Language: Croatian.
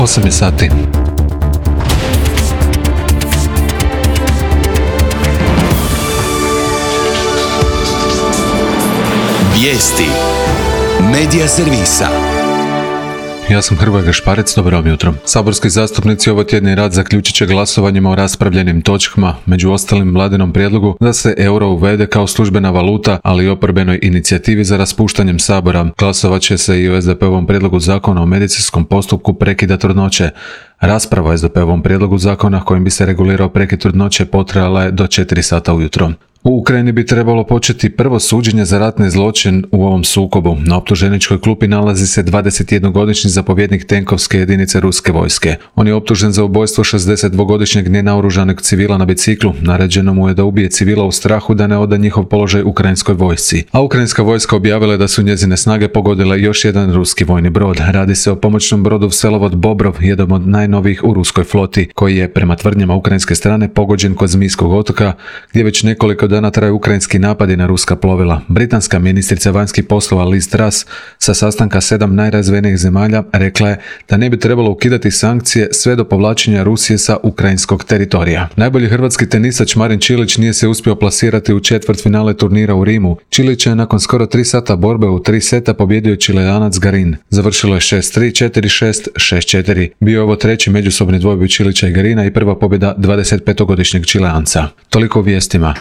8 je sati. Vijesti Medija servisa. Ja sam Hrvoje Gašparec, dobro vam jutro. Saborski zastupnici ovo tjedni rad zaključit će glasovanjima o raspravljenim točkama, među ostalim vladinom prijedlogu da se euro uvede kao službena valuta, ali i oporbenoj inicijativi za raspuštanjem Sabora. Glasovat će se i o SDP-ovom prijedlogu zakona o medicinskom postupku prekida trudnoće. Rasprava o SDP-ovom prijedlogu zakona kojim bi se regulirao prekid trudnoće potrajala je do 4 sata ujutro. U Ukrajini bi trebalo početi prvo suđenje za ratni zločin u ovom sukobu. Na optuženičkoj klupi nalazi se 21-godišnji zapovjednik tenkovske jedinice ruske vojske. On je optužen za ubojstvo 62-godišnjeg nenaoružanog civila na biciklu. Naređeno mu je da ubije civila u strahu da ne oda njihov položaj ukrajinskoj vojsci. A ukrajinska vojska objavila je da su njezine snage pogodile još jedan ruski vojni brod. Radi se o pomoćnom brodu Vselovod Bobrov, jedan od najnovijih u ruskoj floti, koji je, prema tvrdnjama ukrajinske strane, pogođen kod Zmijskog otoka, gdje već nekoliko dana traju ukrajinski napadi na ruska plovila. Britanska ministrica vanjskih poslova Liz Truss sa sastanka 7 najrazvijenijih zemalja rekla je da ne bi trebalo ukidati sankcije sve do povlačenja Rusije sa ukrajinskog teritorija. Najbolji hrvatski tenisač Marin Čilić nije se uspio plasirati u četvrtfinale turnira u Rimu. Čilić je nakon skoro 3 sata borbe u 3 seta pobjedio Čilejanac Garin. Završilo je 6-3, 4-6, 6-4. Bio je ovo treći međusobni dvojboj Čilića i Garina i prva pobjeda 25-godišnjeg Čileanca. Toliko u vijestima.